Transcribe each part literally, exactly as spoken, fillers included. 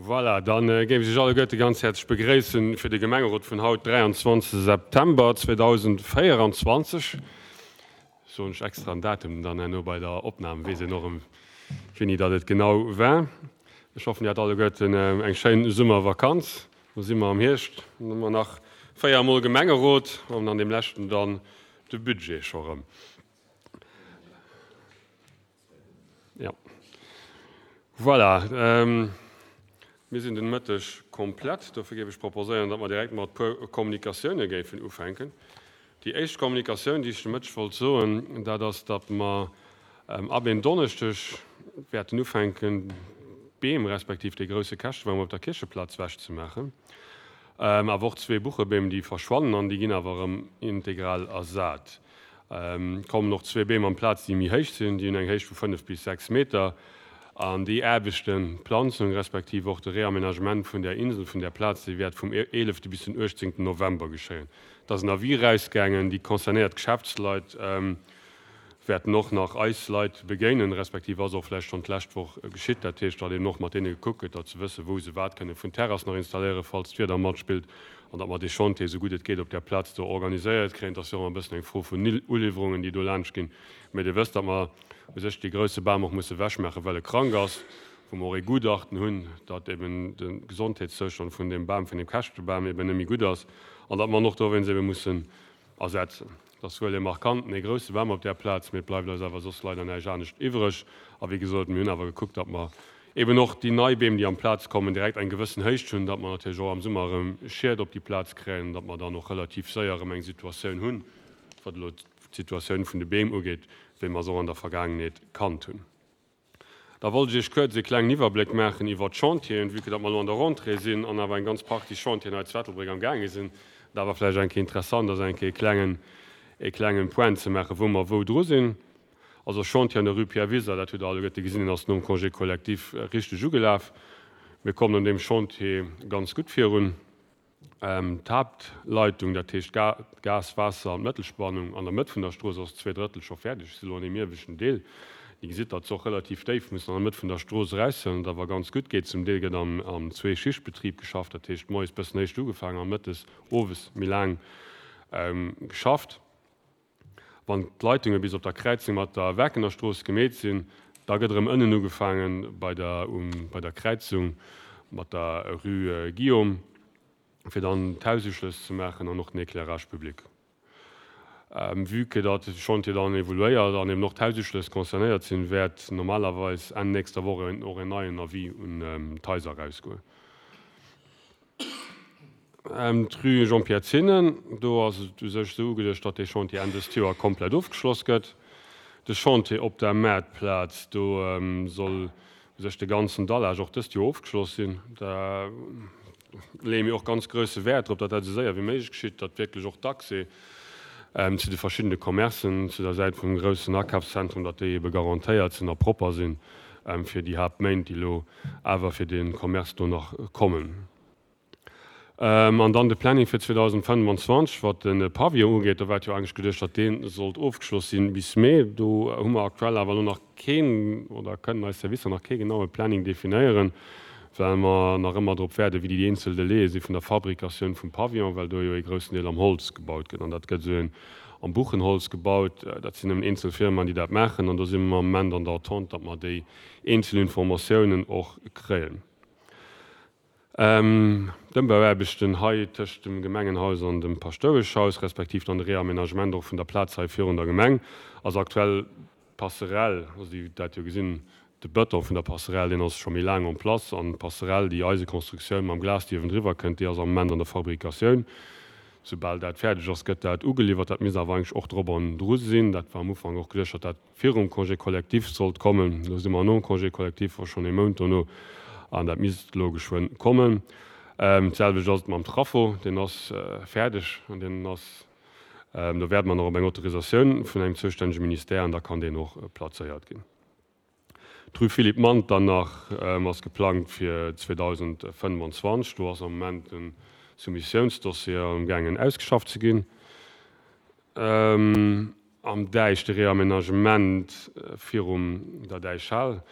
Voilà, dann géif ech Iech alleguerte ganz häerzlech begréissen fir de Gemengerot vun haut, dräianzwanzeg September zweedausendvéieranzwanzeg. Soen ech extra en Datum, dann herno bei der Opnam weess een och erëm, wéini datt et genau war. Ech hoffen, Dir hat alleguerten eng schéin Summervakanz. Lo si mer am Hierscht, dann hu mer nach véier Mol Gemengerot an an deem leschten dann de Budget scho rëm. Jo. Voilà, mir sinn den Mëtteg komplett. Dofir géif ech proposéieren, datt mer direkt mat e puer Kommunikatioune géifen ufänken. Déi éischt Kommunikatioun, déi ech de Mëtteg wollt soen, dat ass, datt mer ab en Donneschdeg wäerten ufänken, d'Beem respektiv dee grousse Käschtebam op der Kiercheplaz wechzemaachen. Awer och zwee Buchebeem, déi verschwannen an déi ginn awer erëm integral ersat. Kommen och zwee Beem amplaz, déi méi héich sinn, déi hunn eng Héicht vu fënnef bis sechs Meter. An déi Aarbechten, d'Planzung respektiv och de Réaménagement vun där Insel, vun där Plaz, déi wäert vum eelefte bis den uechtzéngten November geschéien. Et ass en Avis erausgaangen, déi concernéiert Geschäftsleit wäerten och nach eis Leit begéinen, respektiv ass och vläicht schonn d'lescht Woch geschitt. Dat heescht, datt eben och mat deene gekuckt gëtt, datt se wëssen, wou se wat kënne vun Terrass nach installéieren, falls d'Wieder matspillt, an datt mer dee Chantier, esou gutt et geet, op där Plaz do organiséiert kréien. Et ass jo och ëmmer e bëssen eng Fro vun Uliwwerungen, déi do laanscht ginn. Mä Dir wësst, datt mer u sech dee grouse Bam och musse ewechmaachen, well e krank ass, wou mer och ee Gutachten hunn, datt eben de Gesondheetszoustand vun deem Bam, vun deem Käschtebam eben net méi gutt ass an datt mer en och dowéinst ebe mussen ersetzen. Et ass wuel e markanten, ee grousse Bam op där Plaz, mee et bleift eis awer soss leider näischt anescht iwwreg. A wéi gesot, mir hunn awer gekuckt, datt mer eben och déi nei Beem, déi amplaz kommen, direkt eng gewëssen Héicht hunn, datt mer natierlech och am Summer erëm Schied op déi Plaz kréien an datt mer dann och relativ séier erëm eng Situatioun hunn, wat elo d'Situatioun vun de Beem ugeet, wéi mer se och an der Vergaangenheet kannt hunn. Da wollt ech Iech kuerz e klengen Iwwerbléck maachen iwwert d'Chantieren, vue que datt mer elo an der Rentrée sinn an awer eng ganz Partie Chantieren hei zu Ettelbréck am gaange sinn. Et awer vläicht eng Kéier interessant ass, eng Kéier e klengen, e klengen Point ze maachen, wou mer wou dru sinn. Also Chantier an der Rue Pierre Wiser, dat hutt Der alleguerte gesinn, deen ass nom Congé collectif richteg ugelaf. Mir kommen an deem Chantier ganz gutt virun. D'Haaptleitung, dat heescht d'Gas-, Waasser an d'Mëttelspannung an der Mëtt vun der Strooss ass zwee Drëttel scho fäerdeg. Ech si elo an deem ieweschten Deel. Dir gesitt, datt se och relativ déif mussen an der Mëtt vun der Strooss eraushuelen, wat awer ganz gutt geet. Zum Deel gëtt am Zwee-Schicht-Betrib geschafft, dat heescht moies bëssen éischt ugefaangen a mëttes, owes méi laang geschafft. Wann d'Leitunge bis op der Kräizung mat der Werkener Strooss gemeet sinn, da gëtt erëm ënnen ugefaange bei der bei der Kräizung mat der Rue Guillaume, fir dann d'Haususchlëss ze maachen an och den Éclairage public. Vue que datt de Chantier dann evoluéiert an eben och d'Haususchlëss concernéiert sinn, wäert normalerweis Enn nächster Woch och en neien Avis un d'Haiser erausgoen. D'Rue Jean-Pierre Zinnen, do ass et u sech esou ugeduecht, datt dee Chantier Enn dëst Joer komplett ofgeschloss gëtt. De Chantier op der Maartplaz, do soll u sech de ganzen Dallage och dëst Joer ofgeschloss sinn. Da leeë mir och ganz grousse Wäert drop, datt dat esou séier wéi méiglech geschitt, datt wierklech och d'Accès zu de verschiddene Commercen zu der Säit vum groussen Akafszentrum, datt déi ebe garantéiert sinn a propper sinn fir déi Haaptméint, déi elo awer fir de Commerce do nach kommen. An dann de Planning fir zweedausendfënnwanzwanzeg, wat de Pavillon ugeet, do war et jo eigentlech geduecht, datt dee sollt ofgeschloss sinn bis Mee. Do hu mer aktuell awer elo nach keen, oder kënnen eis Servicer nach kee genaue Planning definéieren, well mer nach ëmmer drop waarden, wéi déi eenzel Délaië si vun der Fabrikatioun vum Pavillon, well do jo ee groussen Deel am Holz gebaut gëtt. An dat gëtt esou am Buchenholz gebaut. Dat sinn nëmmen eenzel Firmaen, déi dat maachen. An do si mer am Moment an der Attente, datt mer déi eenzel Informatiounen och kréien. D'Ëmbauaarbechten hei tëscht dem Gemengenhaus an dem Paschtoueschhaus, respektiv dann de Réaménagement och vun der Plaz hei virun der Gemeng, ass aktuell d'Passerelle, also déi dat jo gesinn, de Bëton vun der Passerelle, deen ass scho méi laang en place an d'Passerelle, déi Eisekonstruktioun mam Glas, déi uewendriwwer kënnt, déi ass am Moment an der Fabrikatioun. Soubal dat fäerdeg ass, gëtt dat ugeliwwert. Dat misst awer eigentlech och drop an dru sinn. Dat war am Ufank och geduecht, datt dat virum Congé collectif sollt kommen. Elo si mer nom Congé collectif, och schonn ee Mount dono, an dat misst elo geschwënn kommen. D'selwecht ass et mam Traffo, deen ass fäerdeg an deen ass, do wäerte mer nach op eng Autorisatioun vun engem zoustännege Ministère an da kann deen och plazéiert ginn. D'Rue Philippe Manternach ass geplangt fir zweedausendfënnefanzwanzeg. Do ass am Moment de Soumissiounsdossier amgaangen ausgeschafft ze ginn. Am Däich de Réaménagement virum der Däichhal,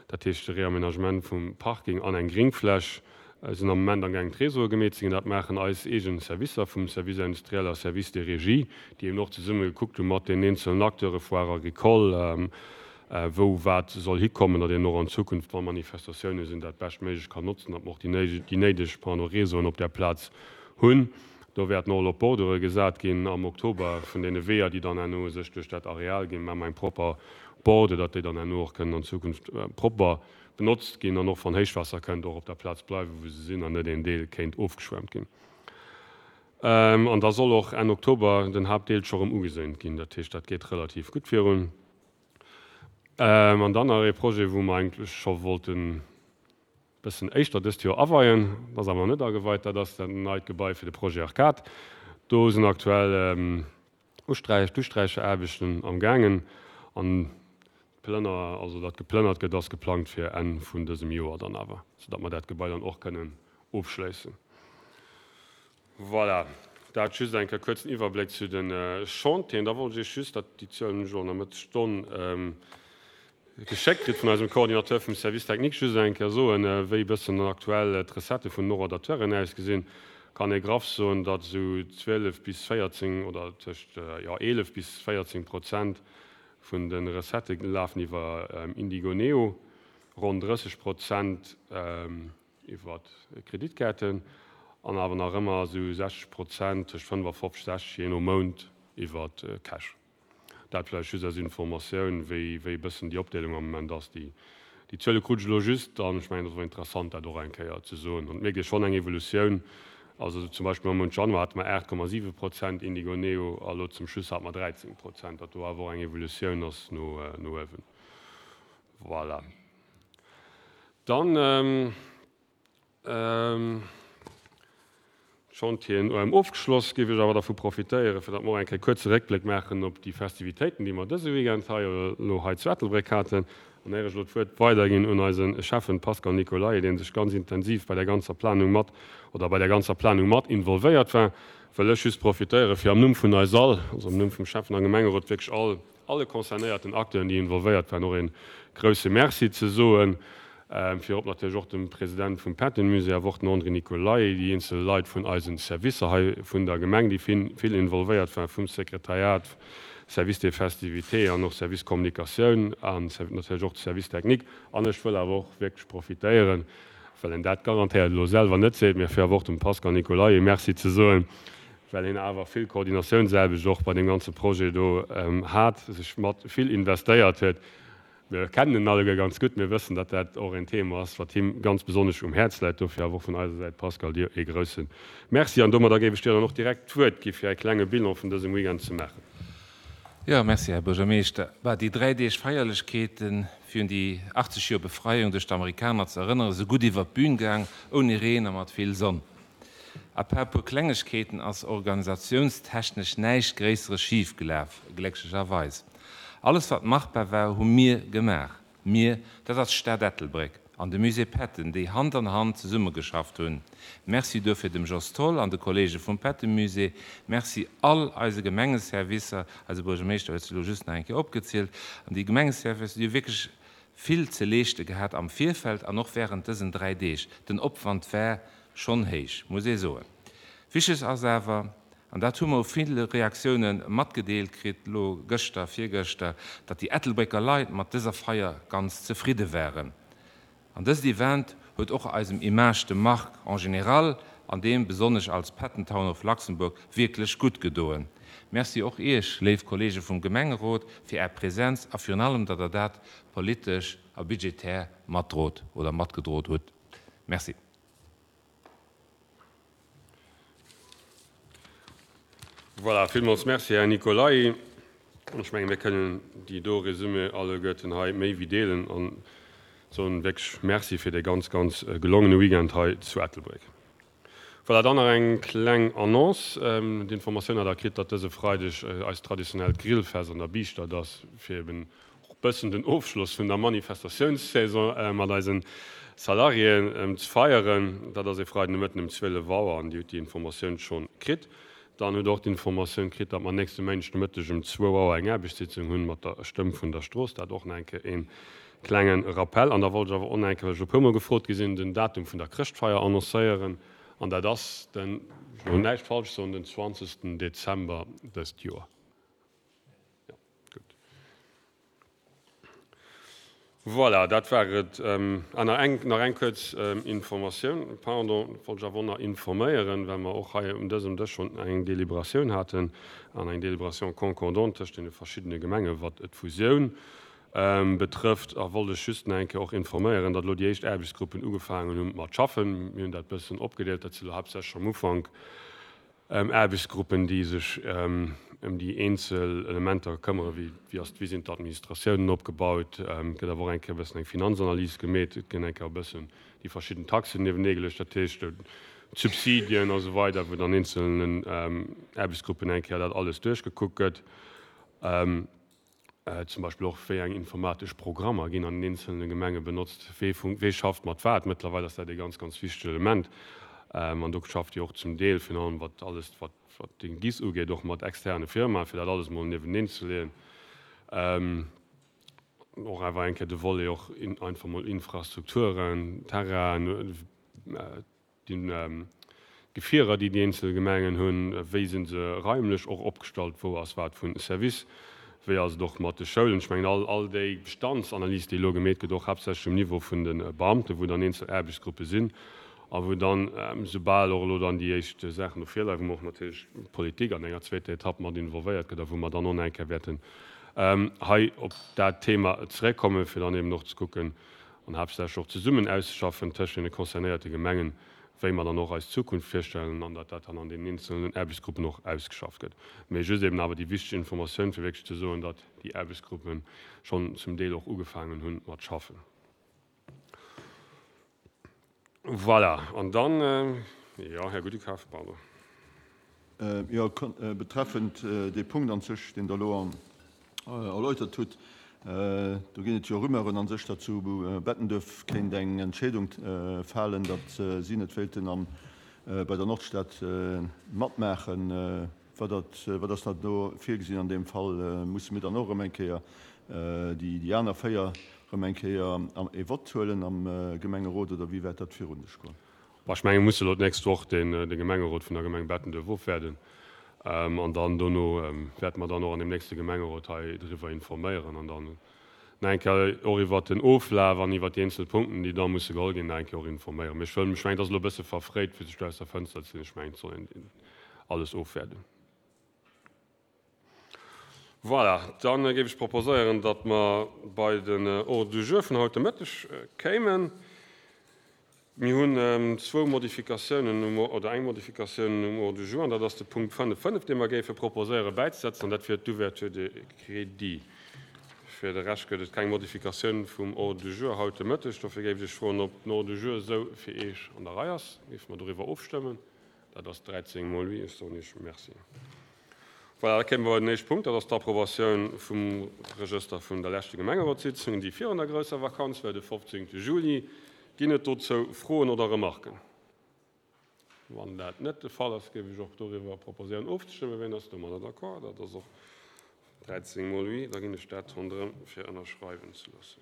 Dat heescht de Réaménagement vum Parking an eng Gringfläch. Sinn am Moment amgaangen d'Réseaue gemeet ze ginn. Dat maachen eis eegen Servicer vum Service industriel a Service des régies, déi eben och zesumme gekuckt hu mat den eenzelen Acteure, Foire agricole, wou wat soll hikommen, datt een och an Zukunft, wa Manifestatioune sinn, dat beschtméiglech kann notzen, datt mer och déi néideg pardon Réseauen op där Plaz hunn. Do wäerten och elo Bordure gesat ginn am Oktober vun deene Weeër, déi dann herno sech duerch dat Areal ginn. Maache mer eng propper Borde, datt déi dann herno och kënnen an Zukunft propper benotzt ginn an och wann Héichwaasser kënnt, och op der Plaz bleiwen, wou se sinn an net een Deel kéint ofgeschwemmt ginn. An da soll och Enn Oktober den Haaptdeel scho rëm ugeséint ginn. Dat heescht, dat geet relativ gutt virun. An dann nach ee Projet, wou mer eigentlech scho wollten e bëssen éischter dëst Joer aweien, dat ass awer nach net ageweit, dat ass dat neit Gebai fir de Projet Arcade. Do sinn aktuell Usträich, d'Usträicheraarbechten am gaangen an d'Plënner, also datt geplënnert gëtt, ass geplangt fir Enn vun dësem Joer dann awer, soudatt mer dat Gebai dann och kënnen ofschléissen. Voilà, dat just eng Kéier kuerzen Iwwerbléck zu de Chantieren. Da wollt ech Iech just, dat déi Zuelen hunn ech elo an der Mëttesstonn geschéckt kritt vun eisem Coordinateur vum Service technique, just eng Kéier soen, wéi e bëssen aktuell d'Recettë vun den Horodateuren ausgesinn. Kann ee graff soen, datt esou zwielef bis véierzéng oder tëscht, jo, eelef bis véierzéng Prozent vun de Recettë lafen iwwer Indigo Neo, ronn drësseg Prozent iwwer Kreditkaarten an awer nach ëmmer esou sechzeg Prozent, tëscht fënnefafofzeg, sechzeg, jee no Mount, iwwer Cash. Dat vläicht just als Informatioun, wéi wéi e bëssen déi Opdeelung am Moment ass. Déi déi Zuele krut ech elo just an ech mengen, et ass och interessant, dat och eng Kéier ze soen. An et mierkt ee schonn eng Evolutioun. Also zum Beispill am Mount Januar hate mer aacht Komma siwe Prozent Indigo Neo a lo zum Schluss hate mer dräizéng Prozent, datt do awer och eng Evolutioun ass no no uewen. Voilà. Dann. D'Chantieren U M ofgeschloss, géif ech awer dervu profitéieren, fir datt mer och eng Kéier kuerze Réckbléck maachen op déi Festivitéiten, déi mer dëse Weekend hei elo hei zu Ettelbréck haten. An éier ech elo d'Wuert weiderginn un eise Schäffen Pascal Nicolay, dee sech ganz intensiv bei der ganzer Planung mat oder bei der ganzer Planung mat involvéiert war, wëll ech just profitéieren, fir am Numm vun eis all, also am Numm vum Schäffen a Gemengerot, wierklech all alle concernéierten Acteuren, déi involvéiert waren, och ee grouse Merci ze soen. Virop natierlech och dem President vum Patton-Musée, awer och den André Nicolay, déi eenzel Leit vun eisen Servicer hei vun der Gemeng, déi vill involvéiert waren, vum Sekretariat, Service des festivités an och Service Kommunikatioun an natierlech och de Service technique. An ech wëll awer och wierklech profitéieren, well en dat garantéiert elo selwer net seet, mä fir awer och dem Pascal Nicolay e Merci ze soen, well hien awer vill Koordinatiounsaarbecht och bei deem ganze Projet do hat, sech mat vill investéiert huet. Mir kennen en alleguer ganz gutt, mir wëssen, datt dat och en Thema ass, wat him ganz besonnesch um Häerz läit. Dofir awer och vun eiser Säit, Pascal, dir ee grousse Merci. An domadder géif ech dir dann och direkt d'Wuert gi fir e klenge Bilan vun dësem Weekend ze maachen. Jo, merci, Här Buergermeeschter. Bah, déi dräi Deeg Feierlechkeeten, fir un déi achtzeg Joer Befreiung duerch d'Amerikaner ze erënneren, si gutt iwwer d'Bün gaang, ouni Reen a mat vill Sonn. À part e puer Klengegkeeten ass organisatiounstechnesch näischt Gréisseres schif gelaf, glécklecherweis. Alles wat machbar war, hu mir gemaach. Mir, dat ass d'Stad Ettelbréck an de Musée Patton, déi Hand an Hand zesummegeschafft hunn. Merci duerfir dem Jos Tholl an de Kollege vum Patton-Musée. Merci all eise Gemengeservicer, eise Buergermeeschter huet se elo just nach eng Kéier opgezielt, an déi Gemengeservicer, déi hu wierklech vill ze leeschte gehat am Virfeld an och während dësen dräi Deeg. Den Opwand war schonn héich, muss ee soen. Wichteg ass awer, an dat hu mer u ville Reaktioune matgedeelt kritt, elo gëschter, virgëschter, datt déi Ettelbrécker Leit mat dëser Feier ganz zefridde waren. An dëst Event huet och eisem Image de marque en général an deem besonnesch als Patent Town of Luxembourg wierklech gutt gedoen. Merci och Iech, léif Kollege vum Gemengerot, fir Är Präsenz a virun allem, datt Der dat politesch a budgetär matdrot oder matgedrot hutt. Merci. Voilà, villmools Merci, Här Nicolay. An ech menge mir kënnen déi do Resumé alleguerten hei méi wéi deelen a soen wierklech Merci fir dee ganz, ganz gelongene Weekend hei zu Ettelbréck. Voilà, dann nach eng kleng Annonce. D'Informatioun hat Der kritt, datt dëse Freideg eist traditionellt Grillfest an der Biischtert ass, fir eben och bëssen den Ofschloss vun der Manifestatiounssaison mat eise Salariéen ze feieren. Dat ass e Freiden de Mëtten um zwielef Auer an Dir hutt déi Informatioun schonn kritt. Dann hutt Der och d'Informatioun kritt, datt mer nächste Méindeg de Mëtteg um zwou Auer eng Aarbechtssitzung hunn mat der Stëmm vun der Strooss. Dat och nach eng Kéier ee klenge Rappel. An da wollt ech awer och nach eng Kéier, well ech e puermol gefrot gi sinn, den Datum vun der Chrëschtfeier annoncéieren. An dat ass den, ech wëll näischt falsch soen, den zwanzegsten Dezember dëst Joer. Jo, gutt. Voilà, dat war et. Ah, nach eng, nach eng kuerz Informatioun, pardon, wollt ech awer och nach informéieren, well mer och hei un dësem Dësch schonn eng Délibératioun haten an eng Délibération concordante tëscht deene verschiddene Gemenge wat d'Fusioun betrëfft. A wollt ech just nach eng Kéier och informéieren, datt elo déi éischt Aarbechtsgruppen ugefaangen hu mat schaffen. Mir hunn dat e bëssen opgedeelt, dat si elo haaptsächlech am Ufank Aarbechtsgruppen, déi sech ëm déi eenzel Elementer këmmere, wéi wéi ass, wéi sinn d'Administratiounen opgebaut, et gëtt awer och eng Kéier e bëssen eng Finanzanalys gemeet, et ginn eng Kéier e bëssen déi verschidden Taxen niewenee geluecht, dat heescht d'Subsidien a sou weider, wou dann eenzelnen Aarbechtsgruppen eng Kéier dat alles duerchgekuckt gëtt. Zum Beispill och, wéi eng informatesch Programmer ginn an den eenzelne Gemenge benotzt, wee wee schafft mat wat. Mëttlerweil ass dat ee ganz, ganz wichtegt Element. An do schafft Dir och zum Deel, virun allem wat alles, wat wat den GIS ugeet, och mat externe Firmaen, fir dat alles emol nieweneen ze leeën. Och awer eng Kéier de Volet och einfach mol Infrastrukturen, Terrainen, d'Gefierer, déi déi eenzel Gemengen hunn, wéi si se raimlech och opgestallt, wou ass wat vun Service, wéi ass et och mat de Schoulen. Ech mengen, all all déi Bestandsanalys, déi elo gemeet gëtt, och haaptsächlech um Niveau vun de Beamten, wou dann eenzel Aarbechtsgruppe sinn a wou dann, soubal och elo dann déi éischt Saachen do virleien, wou mer och natierlech d'Politik an enger zweeter Etapp mat involvéiert gëtt a wou mer dann och nach eng Kéier wäerten hei op dat Thema zeréckkommen, fir dann eben och ze kucken an haaptsächlech och zesummen auszeschaffen tëscht deene concernéierte Gemengen, wéi mer dann och eis Zukunft virstellen an datt dat dann an deenen eenzelnen Aarbechtsgruppen och ausgeschafft gëtt. Mee just eben awer déi wichteg Informatioun, fir wierklech ze soen, datt déi Aarbechtsgruppe schonn zum Deel och ugefaangen hunn mat schaffen. Voilà, an dann, jo, Här Gudekaf, pardon. Jo, betreffend dee Punkt an sech, deen Der elo erläutert hutt, do ginn et jo Rumeuren an sech, datt zu Bettenduerf kéint eng Entscheedung falen, datt si net wéilten bei der Nordstad matmaachen. Wat ass da do virgesinn an deem Fall? Musse mir dann och erëm eng Kéier déi aner véier erëm eng Kéier e Vott huelen am Gemengerot oder wéi wäert dat virun sech goen? Bon, ech menge mir musse elo d'nächst Woch de Gemengerot vun der Gemeng Bettenduerf ofwäerden an dann dono wäerte mer dann och an deem nächste Gemengerot hei driwwer informéieren an dann nach eng Kéier och iwwert den Oflaf an iwwert déi eenzel Punkten, déi da musse geholl ginn, nach eng Kéier och informéieren. Mee ech wëll, ech mengen, et ass elo e bësse verfréit, fir sech do aus der Fënster ze lehnen. Ech mengen, et soll een alles ofwäerden. Voilà, da géif ech proposéieren, datt mer bei den Ordre du jour vun haut de Mëtteg kéimen. Mir hunn zwou Modifikatiounen um, oder eng Modifikatioun um Ordre du jour, an dat ass de Punkt fënnef fënnef, dee mer géife proposéieren bäizesetzen, an dat wier d'Ouverture des crédits. Fir de Rescht gëtt et keng Modifikatioun vum Ordre du jour haut de Mëtteg. Dofir géif ech froen, ob den Ordre du jour esou fir Iech an der Rei ass. Géife mer doriwwer ofstëmmen? Dat ass dräizéng mol oui. Ech soen Iech Merci. Voilà, da kéime mer bei den éischte Punkt, dat ass d'Approbatioun vum Regëster vun der leschte Gemengerotssitzung, déi virun der grousser Vakanz war, de fofzéngte Juli. Ginn et dozou Froen oder Remarken? Wann dat net de Fall ass, géif ech och doriwwer proposéieren ofzestëmmen. Wien ass domadder d'accord? Dat ass och dräizéng mol oui. Da ginn ech dat ronderëm fir ënnerschreiwen ze loossen.